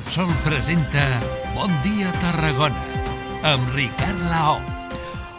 Repsol presenta Bon dia Tarragona amb Ricard Laoz.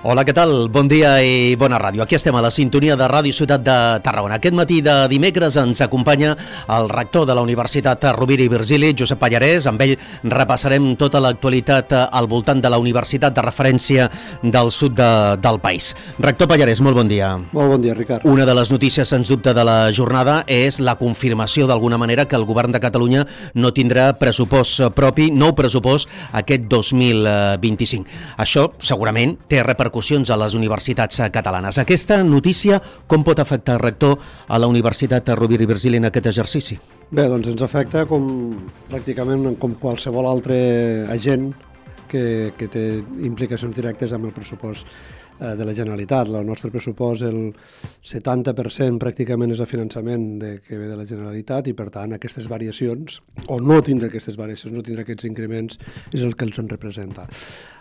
Hola, què tal? Bon dia i bona ràdio. Aquí estem a la sintonia de Ràdio Ciutat de Tarragona. Aquest matí de dimecres ens acompanya el rector de la Universitat Rovira i Virgili, Josep Pallarès. Amb ell repassarem tota l'actualitat al voltant de la universitat de referència del sud del país. Rector Pallarès, molt bon dia. Molt bon dia, Ricard. Una de les notícies, sens dubte, de la jornada és la confirmació, d'alguna manera, que el govern de Catalunya no tindrà pressupost propi, nou pressupost, aquest 2025. Això, segurament, té repercussions a les universitats catalanes. Aquesta notícia, com pot afectar, rector, a la Universitat Rovira i Virgili en aquest exercici? Bé, doncs ens afecta pràcticament com qualsevol altre agent que té implicacions directes amb el pressupost de la Generalitat. El nostre pressupost, el 70% pràcticament és el finançament que ve de la Generalitat i, per tant, aquestes variacions, o no tindre aquestes variacions, no tindre aquests increments, és el que els en representa.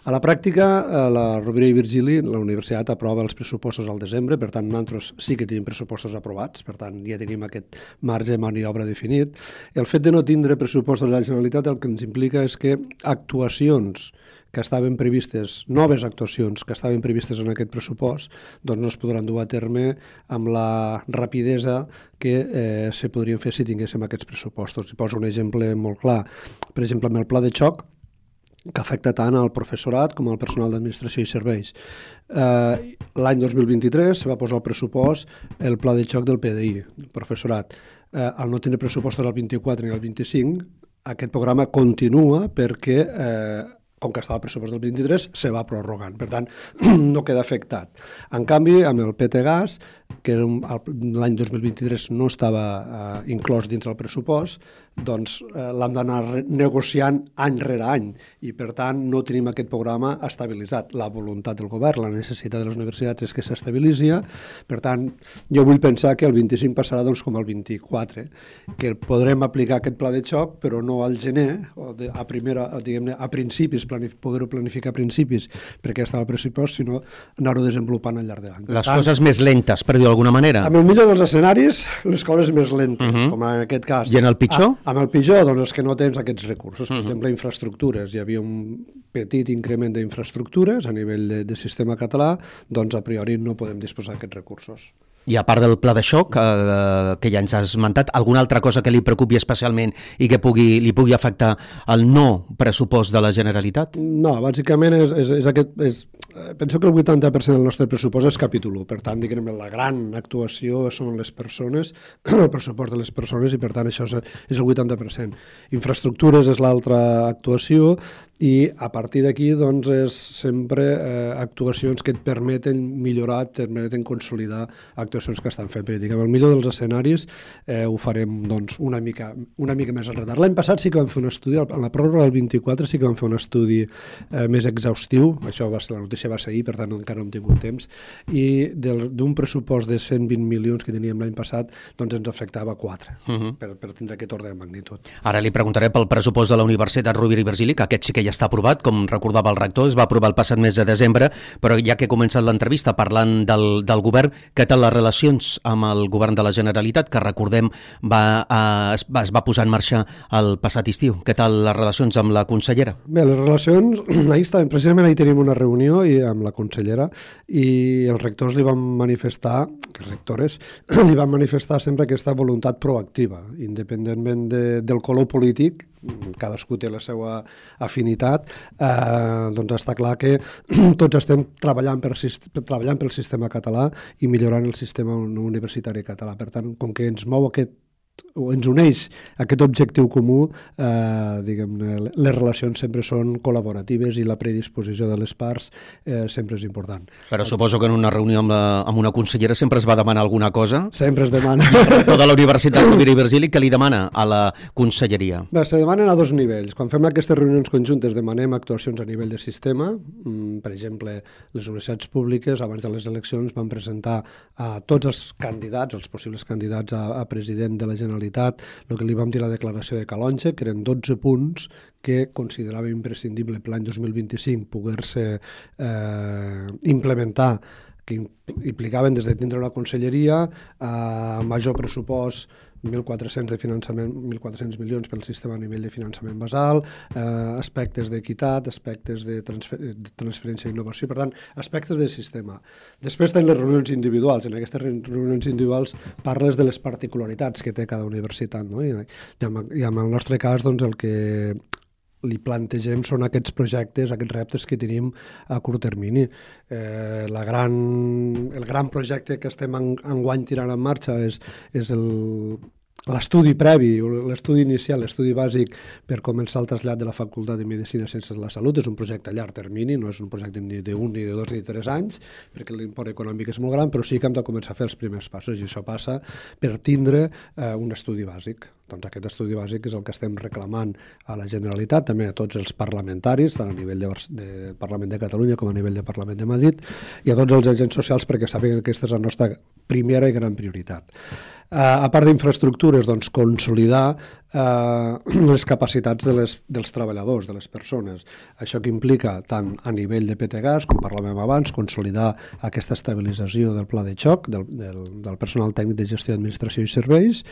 A la pràctica, la Rovira i Virgili, la universitat, aprova els pressupostos al desembre, per tant, nosaltres sí que tenim pressupostos aprovats, per tant, ja tenim aquest marge de maniobra definit. El fet de no tindre pressupost de la Generalitat el que ens implica és que actuacions que estaven previstes, noves actuacions que estaven previstes en aquest pressupost, doncs no es podran dur a terme amb la rapidesa que se podrien fer si tinguéssim aquests pressupostos. I poso un exemple molt clar. Per exemple, amb el pla de xoc, que afecta tant al professorat com al personal d'administració i serveis. L'any 2023 se va posar al pressupost el pla de xoc del PDI, del professorat. Al no tenir pressupostos al 24 ni al 25, aquest programa continua perquè com que estava al pressupost del 23, se va prorrogant. Per tant, no queda afectat. En canvi, amb el PT-Gas, que l'any 2023 no estava inclòs dins el pressupost, doncs l'hem d'anar negociant any rere any i, per tant, no tenim aquest programa estabilitzat. La voluntat del govern, la necessitat de les universitats és que s'estabilitzi. Per tant, jo vull pensar que el 25 passarà doncs, com el 24, que podrem aplicar aquest pla de xoc, però no al gener, a principis, poder-ho planificar a principis perquè està al pressupost, sinó anar-ho desenvolupant al llarg de l'any. Les coses més lentes, per dir d'alguna manera. Amb el millor dels escenaris, les coses més lentes, com en aquest cas. I en el pitjor? Amb el pitjor, doncs, és que no tens aquests recursos. Per exemple, infraestructures. Hi havia un petit increment d'infraestructures a nivell de sistema català, doncs a priori no podem disposar d'aquests recursos. I a part del pla de xoc, que ja ens has esmentat, alguna altra cosa que li preocupi especialment i que li pugui afectar el no pressupost de la Generalitat? No, bàsicament és aquest... Penso que el 80% del nostre pressupost és capítol 1, per tant, diguem, la gran actuació són les persones, el pressupost de les persones, i per tant això és el 80%. Infraestructures és l'altra actuació, i a partir d'aquí doncs, és sempre actuacions que et permeten millorar, et permeten consolidar actuacions que estan fent. Però diguem, el millor dels escenaris ho farem doncs, una mica més enredat. L'any passat sí que vam fer un estudi, en la pròrroga del 24 sí que vam fer un estudi més exhaustiu, això va ser, la notícia va ser ahir, per tant encara no hem tingut temps, i d'un pressupost de 120 milions que teníem l'any passat, doncs ens afectava 4, per tindre aquest ordre de magnitud. Ara li preguntaré pel pressupost de la Universitat Rovira i Virgili, que aquest sí que ja està aprovat, com recordava el rector, es va aprovar el passat mes de desembre, però ja que he començat l'entrevista parlant del govern, què tal les relacions amb el govern de la Generalitat, que recordem es va posar en marxa el passat estiu? Què tal les relacions amb la consellera? Bé, les relacions, precisament ahir tenim una reunió amb la consellera i els rectors li van manifestar, les rectores, li van manifestar sempre aquesta voluntat proactiva, independentment del color polític, cadascú té la seva afinitat, doncs està clar que tots estem treballant pel sistema català i millorant el sistema universitari català. Per tant, com que ens mou ens uneix aquest objectiu comú, les relacions sempre són col·laboratives i la predisposició de les parts sempre és important. Però suposo que en una reunió amb una consellera sempre es va demanar alguna cosa? Sempre es demana. Tota la Universitat Rovira i Virgili, què li demana a la conselleria? Bé, se demanen a dos nivells. Quan fem aquestes reunions conjuntes demanem actuacions a nivell de sistema. Per exemple, les universitats públiques abans de les eleccions van presentar a tots els candidats, els possibles candidats a president de la Generalitat, el que li vam dir a la declaració de Calonge, que eren 12 punts que considerava imprescindible per l'any 2025 poder-se implementar, que implicaven des de tindre una conselleria, major pressupost 1.400 de finançament, 1.400 milions pel sistema a nivell de finançament basal, aspectes d'equitat, aspectes de transferència d'innovació, per tant, aspectes del sistema. Després tenim les reunions individuals. En aquestes reunions individuals parles de les particularitats que té cada universitat, no? I en el nostre cas, doncs, el que li plantegem són aquests projectes, aquests reptes que tenim a curt termini. El gran projecte que estem enguany tirant en marxa és l'estudi previ, l'estudi inicial, l'estudi bàsic per començar el trasllat de la Facultat de Medicina i Ciències de la Salut. És un projecte a llarg termini, no és un projecte ni d'un, ni de 2, ni de 3 anys, perquè l'import econòmic és molt gran, però sí que hem de començar a fer els primers passos, i això passa per tindre un estudi bàsic. Doncs aquest estudi bàsic és el que estem reclamant a la Generalitat, també a tots els parlamentaris, tant a nivell de Parlament de Catalunya com a nivell de Parlament de Madrid, i a tots els agents socials, perquè sàpiguen que aquesta és la nostra primera i gran prioritat. A part d'infraestructures, doncs, consolidar les capacitats dels treballadors, de les persones. Això que implica tant a nivell de PTGAS, com parlàvem abans, consolidar aquesta estabilització del pla de xoc, del personal tècnic de gestió, administració i serveis.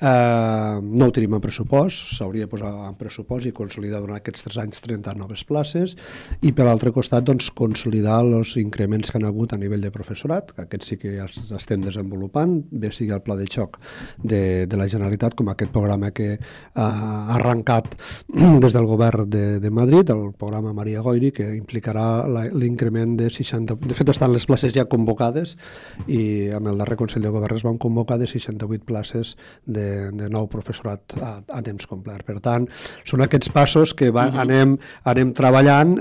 No ho tenim en pressupost, s'hauria de posar en pressupost i consolidar durant aquests 3 anys 30 noves places, i per l'altre costat, doncs, consolidar els increments que han hagut a nivell de professorat, que aquests sí que ja els estem desenvolupant, bé sigui el pla de xoc de la Generalitat, com aquest programa que ha arrencat des del govern de Madrid, el programa Maria Goiri, que implicarà l'increment de 60... De fet, estan les places ja convocades, i amb el darrer Consell de Govern es van convocar de 68 places de nou professorat a temps complet. Per tant, són aquests passos que anem treballant,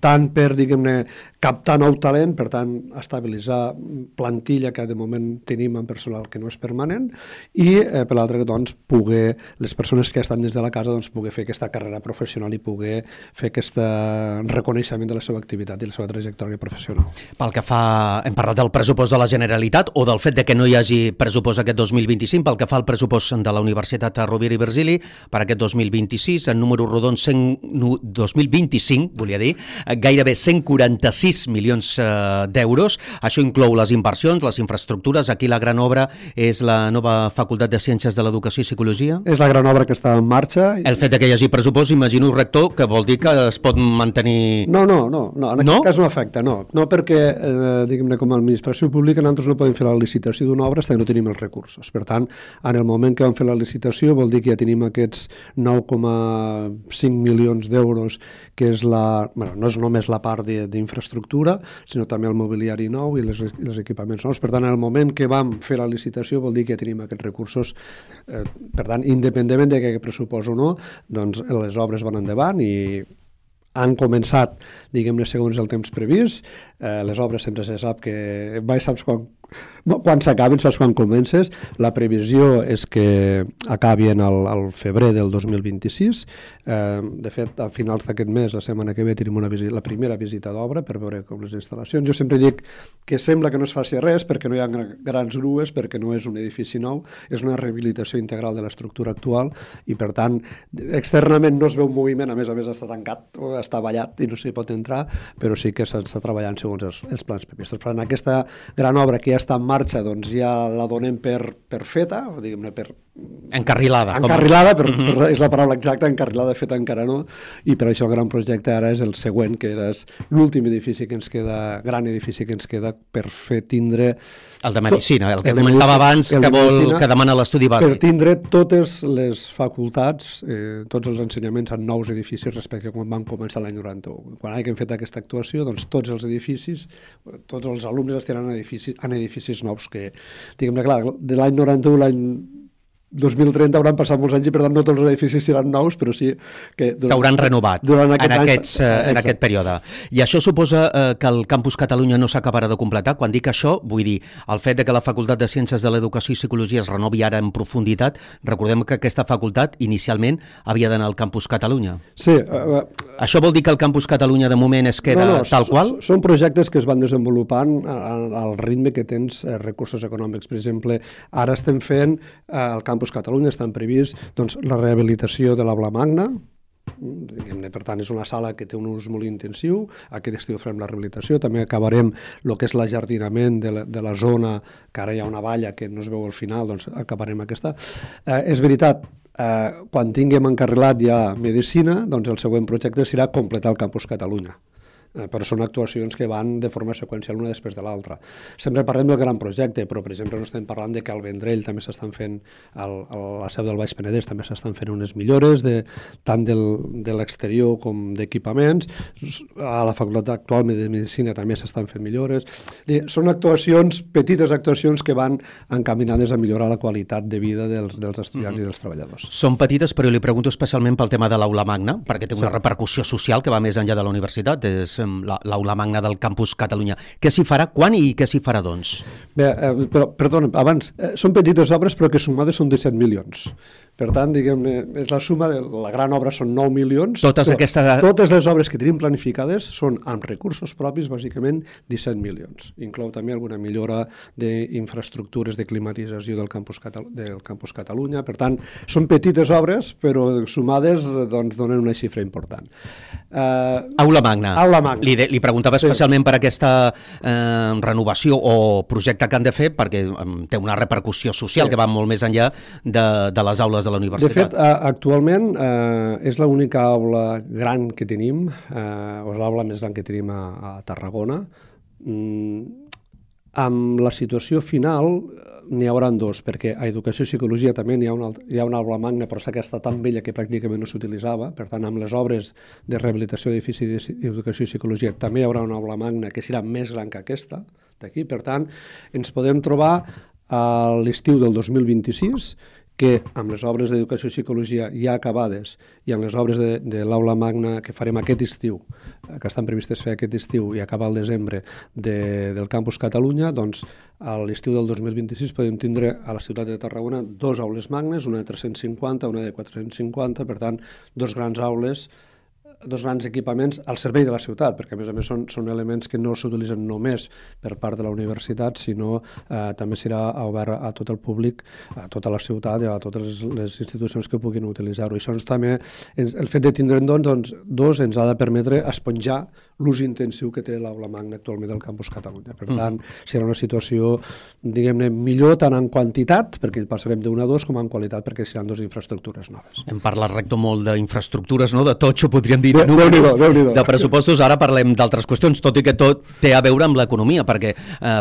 tant per, diguem-ne, captar nou talent, per tant, estabilitzar plantilla que de moment tenim en personal que no és permanent, i per l'altre, doncs, poder, les persones que estan des de la casa, doncs, poder fer aquesta carrera professional i poder fer aquest reconeixement de la seva activitat i la seva trajectòria professional. Pel que fa, hem parlat del pressupost de la Generalitat o del fet de que no hi hagi pressupost aquest 2025, pel que fa al pressupost de la Universitat Rovira i Virgili per aquest 2026, en número rodon 2025, volia dir, gairebé 146 milions d'euros. Això inclou les inversions, les infraestructures. Aquí la gran obra és la nova Facultat de Ciències de l'Educació i Psicologia. És la gran obra que està en marxa. El fet que hi hagi pressupost, imagino, rector, que vol dir que es pot mantenir... No, en aquest cas no afecta, no perquè, diguem-ne, com a administració pública nosaltres no podem fer la licitació d'una obra fins que no tenim els recursos. Per tant, en el moment que vam fer la licitació vol dir que ja tenim aquests 9,5 milions d'euros, que és no és només la part d'infraestructura, sinó també el mobiliari nou i els equipaments nous. Per tant, en el moment que vam fer la licitació vol dir que ja tenim aquests recursos. Per tant, independentment de que pressupost o no, doncs les obres van endavant i han començat, diguem-ne, segons el temps previst. Les obres sempre se sap que mai saps quan s'acaben, saps quan comences. La previsió és que acabi al febrer del 2026. De fet, a finals d'aquest mes, la setmana que ve, tenim la primera visita d'obra per veure com les instal·lacions. Jo sempre dic que sembla que no es faci res perquè no hi ha grans grues, perquè no és un edifici nou, és una rehabilitació integral de l'estructura actual i, per tant, externament no es veu moviment, a més està tancat o està ballat i no s'hi pot entrar, però sí que s'està treballant segons els plans previstos. Per tant, aquesta gran obra que ja està en marxa, doncs ja la donem per feta, o diguem-ne per... Encarrilada. És la paraula exacta, encarrilada, feta encara no, i per això el gran projecte ara és el següent, que és l'últim edifici que ens queda, gran edifici que ens queda per fer tindre... El de Medicina, el que comentava abans, que demana l'estudi bàsic. Per tindre totes les facultats, tots els ensenyaments en nous edificis respecte a quan vam començar l'any 91. Quan hem fet aquesta actuació, doncs tots els edificis, tots els alumnes estaran en edificis nous que, diguem-ne, clar, de l'any 91 l'any 2030 hauran passat molts anys i per tant no tots els edificis seran nous, però sí que s'hauran renovat en aquest període. I això suposa que el Campus Catalunya no s'acabarà de completar? Quan dic això, vull dir, el fet de que la Facultat de Ciències de l'Educació i Psicologia es renovi ara en profunditat, recordem que aquesta facultat inicialment havia d'anar al Campus Catalunya. Sí. Això vol dir que el Campus Catalunya de moment es queda tal qual? Són projectes que es van desenvolupant al ritme que tens recursos econòmics. Per exemple, ara estem fent el Campus Catalunya, estan previst doncs, la rehabilitació de l'aula magna, Per tant, és una sala que té un ús molt intensiu. Aquest estiu farem la rehabilitació, també acabarem el que és l'ajardinament de la zona, que ara hi ha una valla que no es veu al final, doncs acabarem aquesta. És veritat, quan tinguem encarrilat ja Medicina, doncs el següent projecte serà completar el Campus Catalunya. Però són actuacions que van de forma seqüencial una després de l'altra. Sempre parlem del gran projecte, però per exemple no estem parlant de que al Vendrell també s'estan fent, a la seu del Baix Penedès també s'estan fent unes millores, tant de l'exterior com d'equipaments. A la Facultat actual de Medicina també s'estan fent millores. Són actuacions, petites actuacions que van encaminades a millorar la qualitat de vida dels estudiants i dels treballadors. Són petites, però li pregunto especialment pel tema de l'aula magna, perquè té una repercussió social que va més enllà de la universitat, és l'aula magna del Campus Catalunya. Què s'hi farà, quan i què s'hi farà, doncs? Bé, però, perdona, abans, són petites obres però que sumades són 17 milions. Per tant, diguem-ne, és la suma de la gran obra són 9 milions. Totes les obres que tenim planificades són amb recursos propis, bàsicament 17 milions. Inclou també alguna millora d'infraestructures de climatització del Campus Catalunya. Per tant, són petites obres, però sumades doncs, donen una xifra important. Aula magna. Li preguntava especialment per aquesta renovació o projecte que han de fer, perquè té una repercussió social que va molt més enllà de les aules de la universitat. De fet, actualment és l'única aula gran que tenim, o és l'aula més gran que tenim a Tarragona. Amb la situació final n'hi haurà dos, perquè a Educació i Psicologia també hi ha una aula magna, però aquesta tan vella que pràcticament no s'utilitzava. Per tant, amb les obres de rehabilitació d'edificis d'Educació i Psicologia també hi haurà una aula magna que serà més gran que aquesta d'aquí. Per tant, ens podem trobar a l'estiu del 2026 que amb les obres d'Educació i Psicologia ja acabades i amb les obres de l'aula magna que farem aquest estiu, que estan previstes fer aquest estiu i acabar al desembre del Campus Catalunya, doncs a l'estiu del 2026 podem tindre a la ciutat de Tarragona dos aules magnes, una de 350, una de 450, per tant, dos grans aules, dos grans equipaments al servei de la ciutat, perquè a més són elements que no s'utilitzen només per part de la universitat, sinó també serà obert a tot el públic, a tota la ciutat i a totes les institucions que puguin utilitzar-ho. I això també, el fet de tindre'n dos ens ha de permetre esponjar l'ús intensiu que té l'aula magna actualment del Campus Catalunya. Per tant, serà una situació, diguem-ne, millor tant en quantitat, perquè passarem d'una a dos, com en qualitat, perquè seran dues infraestructures noves. Hem parlat, rector, molt d'infraestructures, no? De totxo, podríem dir, de pressupostos. Ara parlem d'altres qüestions, tot i que tot té a veure amb l'economia, perquè,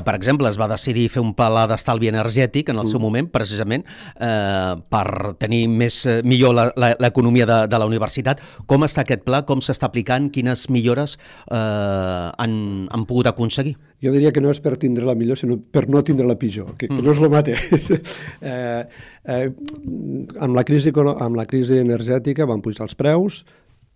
per exemple, es va decidir fer un pla d'estalvi energètic en el seu moment, precisament, per tenir millor l'economia de la universitat. Com està aquest pla? Com s'està aplicant? Quines millores han pogut aconseguir? Jo diria que no és per tindre la millor, sinó per no tindre la pitjor, que no és el mateix. Amb la crisi energètica van pujar els preus,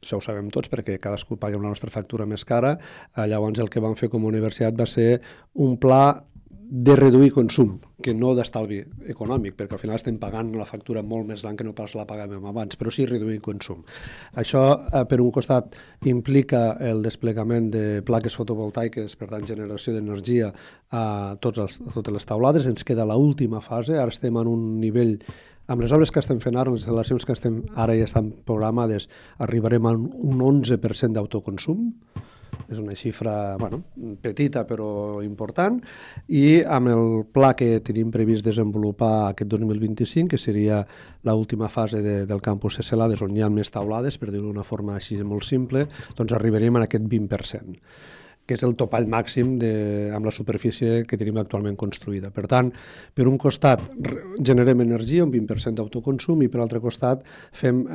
això ho sabem tots perquè cadascú paga la nostra factura més cara. Llavors el que vam fer com a universitat va ser un pla de reduir consum, que no d'estalvi econòmic, perquè al final estem pagant la factura molt més gran que no pas la pagàvem abans, però sí reduir consum. Això, per un costat, implica el desplegament de plaques fotovoltaiques, per tant, generació d'energia a totes les taulades. Ens queda l'última fase, ara estem en un nivell. Amb les obres que estem fent ara, les instal·lacions que ara ja estan programades, arribarem a un 11% d'autoconsum. És una xifra petita però important, i amb el pla que tenim previst desenvolupar aquest 2025, que seria l'última fase del campus Celades, on hi ha més taulades, per dir-ho d'una forma així molt simple, doncs arribarem a aquest 20%, que és el topall màxim amb la superfície que tenim actualment construïda. Per tant, per un costat generem energia, un 20% d'autoconsum, i per altre costat fem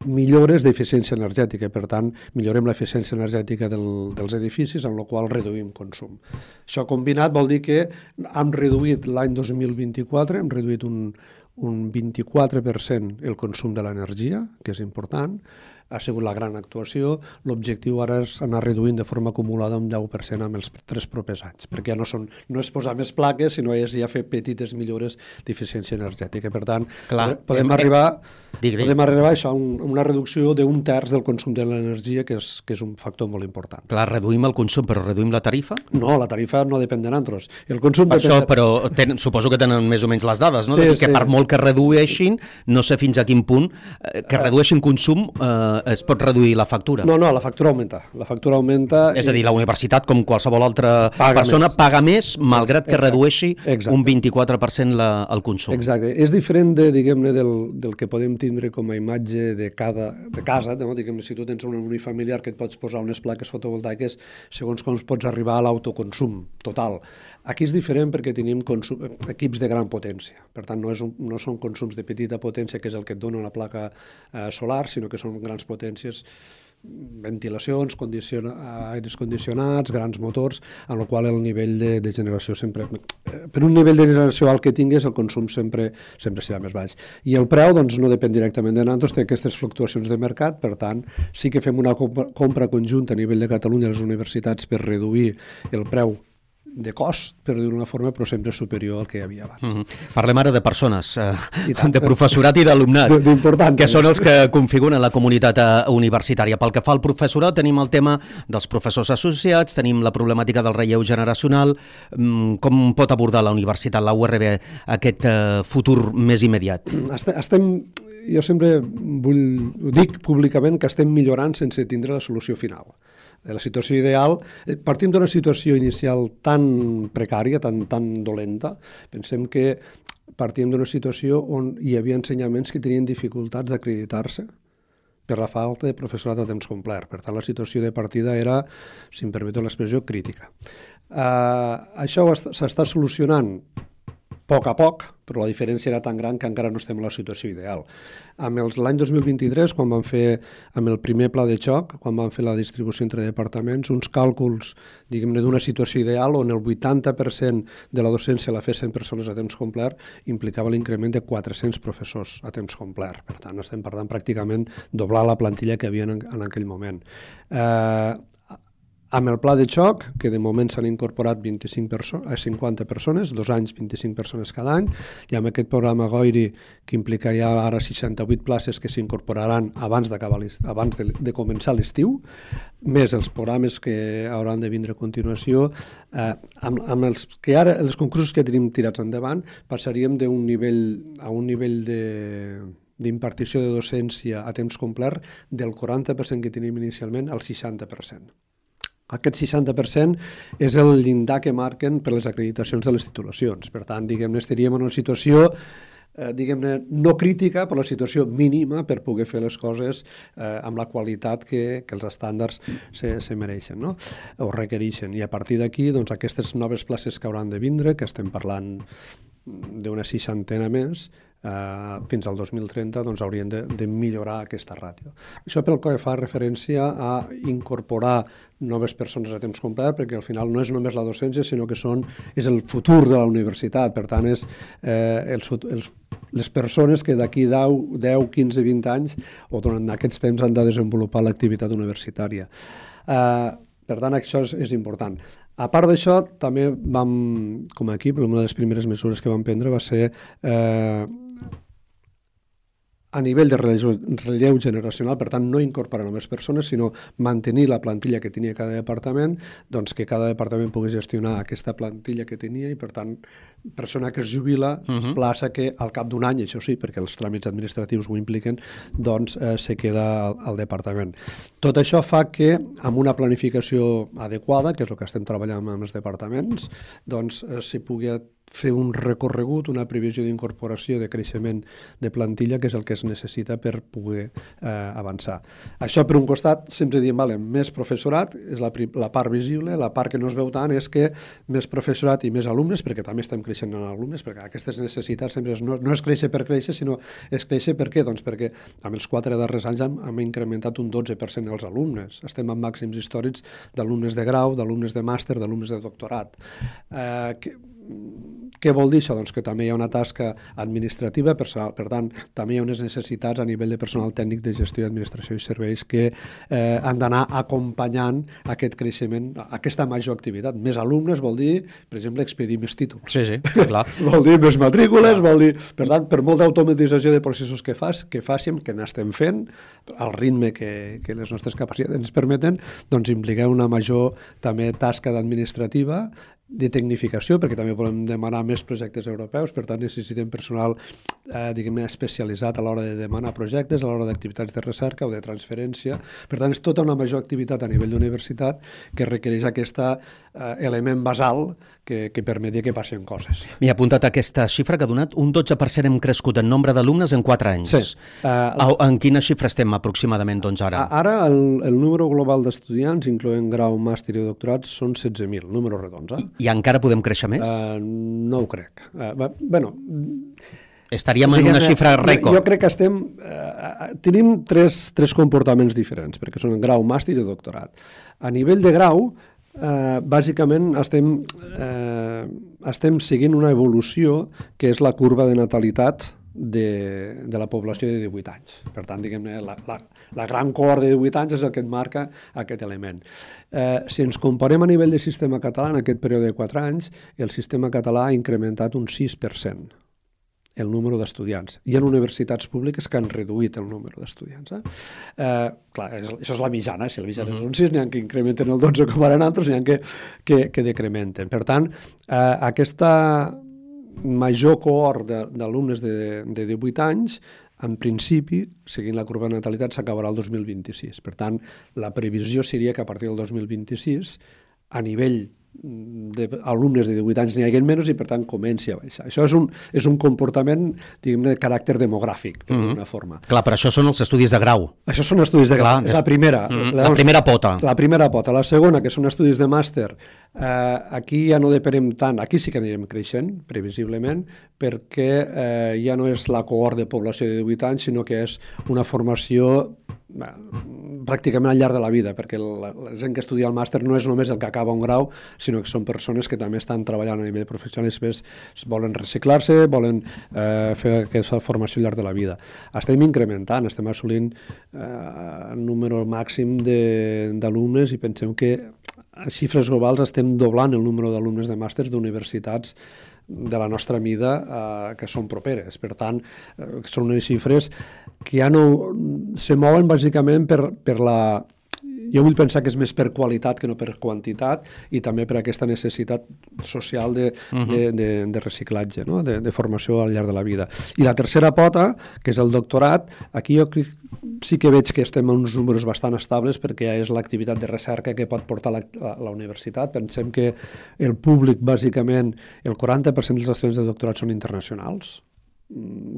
millores d'eficiència energètica. Per tant, millorem l'eficiència energètica dels edificis, amb la qual reduïm consum. Això combinat vol dir que hem reduït l'any 2024, hem reduït un 24% el consum de l'energia, que és important. ha sigut la gran actuació. L'objectiu ara és anar reduint de forma acumulada un 10% amb els 3 propers anys, perquè ja no és posar més plaques, sinó és ja fer petites millores d'eficiència energètica. Per tant, podem arribar a això, una reducció d'un terç del consum de l'energia, que és un factor molt important. Clar, reduïm el consum, però reduïm la tarifa? No, la tarifa no depèn de nosaltres. El consum per això, però suposo que tenen més o menys les dades, no? Sí, que per molt que redueixin, no sé fins a quin punt, que redueixin consum, es pot reduir la factura. No, la factura augmenta. La factura augmenta... És a dir, la universitat, com qualsevol altra persona, paga més, malgrat que redueixi un 24% el consum. Exacte. És diferent, diguem-ne, del que podem tindre com a imatge de casa, no? Diguem-ne, si tu tens un unifamiliar que et pots posar unes plaques fotovoltaiques, segons com pots arribar a l'autoconsum total. Aquí és diferent perquè tenim equips de gran potència. Per tant, no són consums de petita potència, que és el que et dona una placa solar, sinó que són grans potències, ventilacions, aires condicionats, grans motors, en el qual el nivell de generació sempre... Per un nivell de generació alt que tingués, el consum sempre serà més baix. I el preu doncs, no depèn directament de nosaltres, té aquestes fluctuacions de mercat, per tant, sí que fem una compra conjunta a nivell de Catalunya a les universitats per reduir el preu de cost, per dir d'una forma, però sempre superior al que hi havia abans. Parlem ara de persones, de professorat i d'alumnat, que són els que configuren la comunitat universitària. Pel que fa al professorat, tenim el tema dels professors associats, tenim la problemàtica del relleu generacional. Com pot abordar la universitat, la URB, aquest futur més immediat? Jo sempre ho dic públicament, que estem millorant sense tindre la solució final. La situació ideal, partim d'una situació inicial tan precària, tan dolenta. Pensem que partim d'una situació on hi havia ensenyaments que tenien dificultats d'acreditar-se per la falta de professorat a temps complet. Per tant, la situació de partida era, si em permeteu l'expressió, crítica. Això s'està solucionant a poc, però la diferència era tan gran que encara no estem en la situació ideal. L'any 2023, quan vam fer amb el primer pla de xoc, quan vam fer la distribució entre departaments, uns càlculs, diguem-ne, d'una situació ideal on el 80% de la docència la fessin persones a temps complet, implicava l'increment de 400 professors a temps complet. Per tant, estem parlant pràcticament doblar la plantilla que hi havia en aquell moment. Amb el pla de xoc, que de moment s'han incorporat 50 persones, 2 anys, 25 persones cada any, i amb aquest programa GOIRI, que implica ja ara 68 places que s'incorporaran abans de començar l'estiu, més els programes que hauran de vindre a continuació, amb els concursos que tenim tirats endavant, passaríem a un nivell d'impartició de docència a temps complet del 40% que tenim inicialment al 60%. Aquest 60% és el llindar que marquen per les acreditacions de les titulacions. Per tant, diguem-ne, estaríem en una situació no crítica, però la situació mínima per poder fer les coses amb la qualitat que els estàndards se mereixen, no? O requereixen. I a partir d'aquí, doncs, aquestes noves places que hauran de vindre, que estem parlant d'una 60 més, fins al 2030 doncs, haurien de millorar aquesta ràtio. Això pel que fa referència a incorporar noves persones a temps complet, perquè al final no és només la docència, sinó que és el futur de la universitat. Per tant, és les persones que d'aquí 10, 15, 20 anys o durant aquests temps han de desenvolupar l'activitat universitària. Per tant, això és important. A part d'això, també vam, com a equip, una de les primeres mesures que vam prendre va ser a nivell de relleu generacional, per tant, no incorporar només persones, sinó mantenir la plantilla que tenia cada departament, doncs que cada departament pogués gestionar aquesta plantilla que tenia i, per tant, persona que es jubila, es plaça que al cap d'un any, això sí, perquè els tràmits administratius ho impliquen, doncs se queda al departament. Tot això fa que, amb una planificació adequada, que és el que estem treballant amb els departaments, doncs se pugui fer un recorregut, una previsió d'incorporació de creixement de plantilla, que és el que es necessita per poder avançar. Això, per un costat, sempre diem, més professorat, és la part visible, la part que no es veu tant és que més professorat i més alumnes, perquè també estem creixent en alumnes, perquè aquestes necessitats sempre no és créixer per créixer, sinó és créixer per què? Doncs perquè amb els 4 darrers anys hem incrementat un 12% els alumnes. Estem en màxims històrics d'alumnes de grau, d'alumnes de màster, d'alumnes de doctorat. Què vol dir això? Doncs que també hi ha una tasca administrativa, per tant, també hi ha unes necessitats a nivell de personal tècnic de gestió, administració i serveis que han d'anar acompanyant aquest creixement, aquesta major activitat. Més alumnes vol dir, per exemple, expedir més títols. Sí, clar. Vol dir més matrícules, vol dir... Per tant, per molta automatització de processos que fàssim, que n'estem fent, al ritme que les nostres capacitats ens permeten, doncs implica una major també tasca administrativa, de tecnificació, perquè també volem demanar més projectes europeus, per tant necessitem personal diguem-ne especialitzat a l'hora de demanar projectes, a l'hora d'activitats de recerca o de transferència. Per tant, és tota una major activitat a nivell d'universitat que requereix aquest element basal que permeti que passin coses. M'he apuntat aquesta xifra que ha donat un 12% hem crescut en nombre d'alumnes en 4 anys. Sí. En quina xifra estem aproximadament doncs ara? Ara el número global d'estudiants, incloent grau, màster i doctorat, són 16.000, números redons. I encara podem créixer més? No ho crec. Estaríem en una xifra rècord. Jo crec que tenim tres comportaments diferents, perquè són grau, màster i doctorat. A nivell de grau, bàsicament estem seguint una evolució que és la curva de natalitat de la població de 18 anys. Per tant, diguem-ne, la gran cohort de 18 anys és el que et marca aquest element. Si ens comparem a nivell de sistema català, en aquest període de 4 anys, el sistema català ha incrementat un 6% el número d'estudiants. Hi ha universitats públiques que han reduït el número d'estudiants. Clar, això és la mitjana. Si la mitjana és un 6, n'hi ha que incrementen el 12 com ara altres, n'hi ha que decrementen. Per tant, aquesta major cohort d'alumnes de 18 anys, en principi, seguint la curva de natalitat, s'acabarà el 2026. Per tant, la previsió seria que a partir del 2026, a nivell d'alumnes de 18 anys n'hi hagi menys i, per tant, comenci a baixar. Això és un comportament, diguem-ne, de caràcter demogràfic, d'alguna forma. Clar, però això són els estudis de grau. Això són estudis de grau. És la primera. La primera pota. La primera pota. La segona, que són estudis de màster, aquí ja no depenem tant, aquí sí que anirem creixent, previsiblement, perquè ja no és la cohort de població de 18 anys, sinó que és una formació pràcticament al llarg de la vida, perquè la gent que estudia el màster no és només el que acaba un grau, sinó que són persones que també estan treballant a nivell professional i després volen reciclar-se, volen fer aquesta formació al llarg de la vida. Estem incrementant, estem assolint el número màxim d'alumnes i pensem que a xifres globals estem doblant el número d'alumnes de màsters d'universitats de la nostra mida que són properes. Per tant, són unes xifres que ja no se mouen bàsicament per la... Jo vull pensar que és més per qualitat que no per quantitat i també per aquesta necessitat social de reciclatge, no? de formació al llarg de la vida. I la tercera pota, que és el doctorat, aquí jo sí que veig que estem en uns números bastant estables perquè és l'activitat de recerca que pot portar la universitat. Pensem que el públic, bàsicament, el 40% dels estudiants de doctorat són internacionals.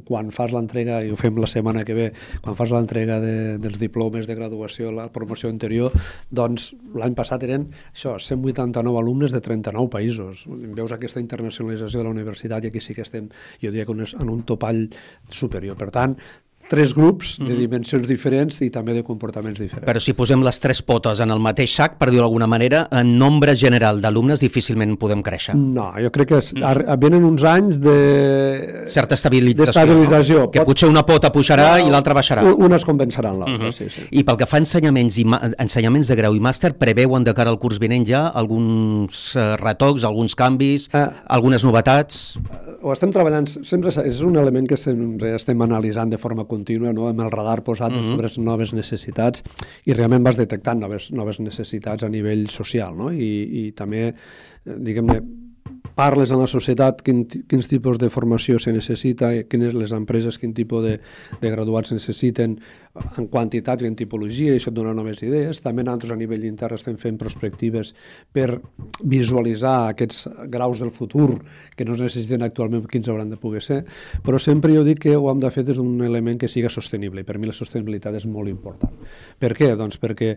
Quan fas l'entrega, i ho fem la setmana que ve, quan fas l'entrega dels diplomes de graduació, la promoció anterior, doncs l'any passat eren 189 alumnes de 39 països. Veus aquesta internacionalització de la universitat i aquí sí que estem, jo diria que en un topall superior. Per tant, 3 grups de dimensions diferents i també de comportaments diferents. Però si posem les 3 potes en el mateix sac, per dir-ho d'alguna manera, en nombre general d'alumnes difícilment podem créixer. No, jo crec que venen uns anys de... certa estabilització. No? Que potser una pota pujarà i l'altra baixarà. Unes compensaran l'altra, sí. I pel que fa a ensenyaments de grau i màster, preveuen de cara al curs vinent ja alguns retocs, alguns canvis, algunes novetats? Ho estem treballant, sempre és un element que sempre estem analitzant de forma contínua, no? Amb el radar posat sobre noves necessitats i realment vas detectant noves necessitats a nivell social, no? I també, diguem-ne, parles en la societat quins tipus de formació se necessita, quines les empreses, quin tipus de graduats necessiten en quantitat i en tipologia, i això et dona noves idees. També nosaltres a nivell intern estem fent prospectives per visualitzar aquests graus del futur que no es necessiten actualment, quins hauran de poder ser, però sempre jo dic que ho hem de fer des d'un element que siga sostenible, i per mi la sostenibilitat és molt important. Per què? Doncs perquè,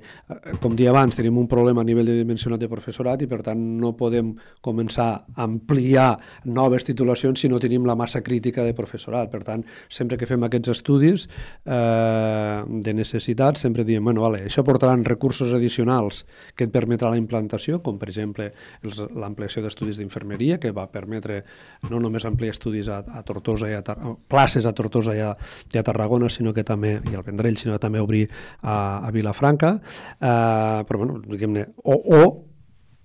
com dia abans, tenim un problema a nivell de dimensionat de professorat i per tant no podem començar a ampliar noves titulacions si no tenim la massa crítica de professorat. Per tant, sempre que fem aquests estudis de necessitats, sempre diem, bueno, vale, això portaran recursos addicionals que et permetrà la implantació, com per exemple l'ampliació d'estudis d'infermeria, que va permetre no només ampliar estudis a Tortosa places a Tortosa i a Tarragona, sinó que també, i al Vendrell, sinó que també obrir a Vilafranca, però bueno, diguem-ne, o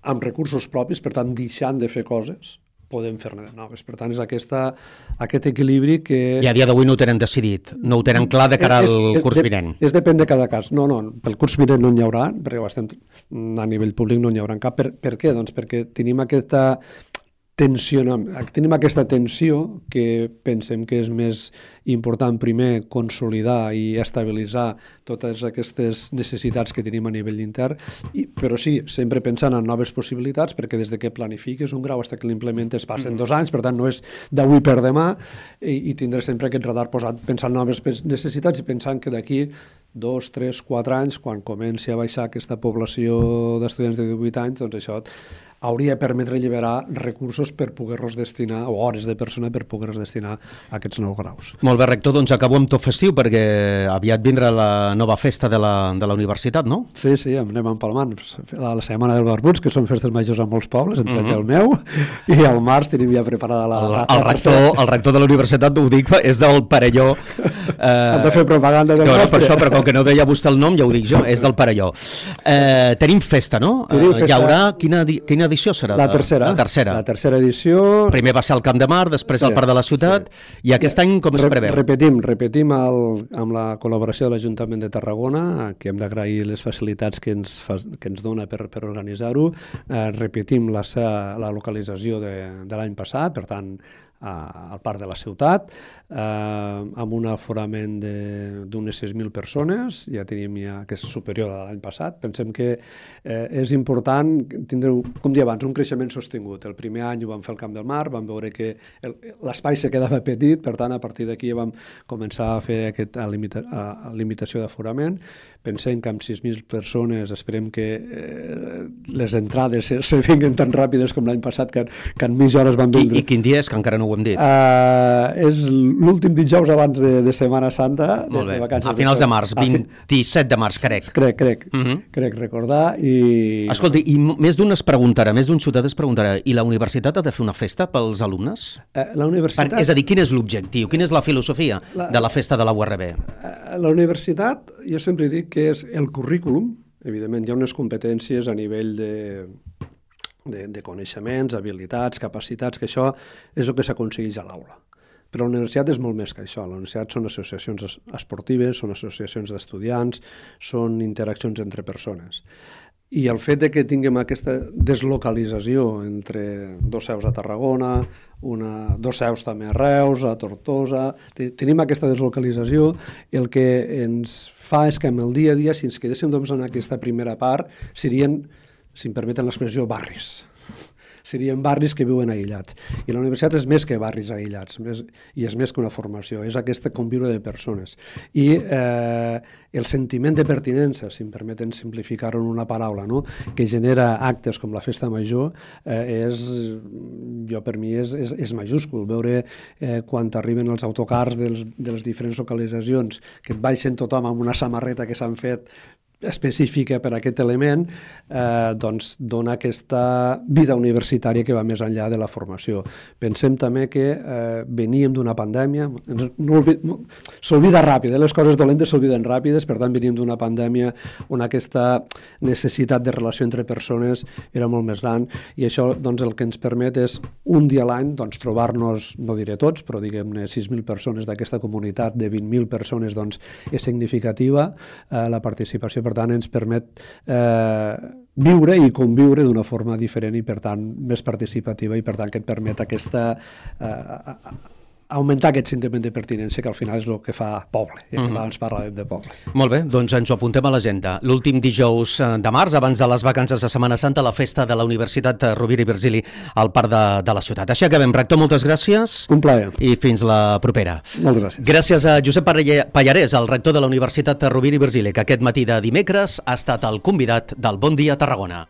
amb recursos propis, per tant, deixant de fer coses, podem fer-ne de noves. Per tant, és aquest equilibri que... I a dia d'avui no ho tenen decidit, no ho tenen clar de cara al curs vinent. Depèn de cada cas. No, pel curs vinent no n'hi haurà, perquè a nivell públic no n'hi haurà cap. Per què? Doncs perquè tenim aquesta tensió que pensem que és més important primer consolidar i estabilitzar totes aquestes necessitats que tenim a nivell intern, però sí, sempre pensant en noves possibilitats, perquè des de que planifiques un grau fins que l'implementes passen 2 anys, per tant no és d'avui per demà, i tindré sempre aquest radar posat pensant en noves necessitats i pensant que d'aquí 2, 3, 4 anys, quan comenci a baixar aquesta població d'estudiants de 18 anys, doncs això hauria de permetre alliberar recursos per poder-los destinar, o hores de persona per poder-los destinar a aquests nous graus. Molt bé, rector, doncs acabo amb tot festiu, perquè aviat vindrà la nova festa de la universitat, no? Sí, anem empalmant. La Setmana del Barbuts, que són festes majors a molts pobles, entre ells el meu, i al març tenim ja preparada el rector de la universitat, ho dic, és del Perelló. Hem de fer propaganda del nostre. Per això, però com que no deia vostè el nom, ja ho dic jo, és del Perelló. Tenim festa, no? Hi haurà, quina edició serà? La tercera. La tercera edició. Primer va ser al Camp de Mar, després al Parc de la Ciutat, i aquest any com es preveu? Repetim amb la col·laboració de l'Ajuntament de Tarragona, que hem d'agrair les facilitats que ens dona per organitzar-ho. Repetim la localització de l'any passat, per tant, al Parc de la Ciutat, amb un aforament d'unes 6.000 persones, ja tenim que és superior a l'any passat. Pensem que és important tindre, com deia abans, un creixement sostingut. El primer any ho vam fer al Camp del Mar, vam veure que l'espai se quedava petit, per tant, a partir d'aquí vam començar a fer aquesta limitació d'aforament. Pensem que amb 6.000 persones esperem que les entrades se vinguin tan ràpides com l'any passat, que en mitja hora es van vindre. I quin dia és, que encara no ho hem dit? És l'últim dijous abans de Setmana Santa. Molt bé, a finals de març, 27 de març, crec. Crec recordar. Escolti, i més d'un es preguntarà, més d'un ciutadà es preguntarà, i la universitat ha de fer una festa pels alumnes? La universitat... És a dir, quin és l'objectiu, quina és la filosofia de la festa de la URB? La universitat, jo sempre dic que és el currículum. Evidentment, hi ha unes competències a nivell de coneixements, habilitats, capacitats, que això és el que s'aconsegueix a l'aula. Però la universitat és molt més que això. La universitat són associacions esportives, són associacions d'estudiants, són interaccions entre persones. I el fet que tinguem aquesta deslocalització entre 2 seus a Tarragona, 2 seus també a Reus, a Tortosa, tenim aquesta deslocalització, el que ens fa és que en el dia a dia, si ens quedéssim només en aquesta primera part, serien, si em permeten l'expressió, barris. Serien barris que viuen aïllats. I la universitat és més que barris aïllats, i és més que una formació, és aquesta conviure de persones. I el sentiment de pertinença, si em permeten simplificar-ho en una paraula, no? Que genera actes com la Festa Major, per mi és majúscul. Veure quan t'arriben els autocars de les diferents localitzacions, que et baixen tothom amb una samarreta que s'han fet específica per a aquest element, doncs dona aquesta vida universitària que va més enllà de la formació. Pensem també que veníem d'una pandèmia, s'olvida ràpid, les coses dolentes s'olviden ràpides, per tant veníem d'una pandèmia on aquesta necessitat de relació entre persones era molt més gran, i això doncs el que ens permet és un dia a l'any trobar-nos, no diré tots, però diguem-ne 6.000 persones d'aquesta comunitat de 20.000 persones, doncs és significativa la participació. Per tant, ens permet viure i conviure d'una forma diferent i, per tant, més participativa, i, per tant, que et permet augmentar aquest sentiment de pertinència, que al final és el que fa poble, i abans parlàvem de poble. Molt bé, doncs ens ho apuntem a l'agenda. L'últim dijous de març, abans de les vacances de Setmana Santa, la festa de la Universitat Rovira i Virgili al Parc de la Ciutat. Així acabem. Rector, moltes gràcies. Un plaer. I fins la propera. Moltes gràcies. Gràcies a Josep Pallarès, el rector de la Universitat Rovira i Virgili, que aquest matí de dimecres ha estat el convidat del Bon Dia Tarragona.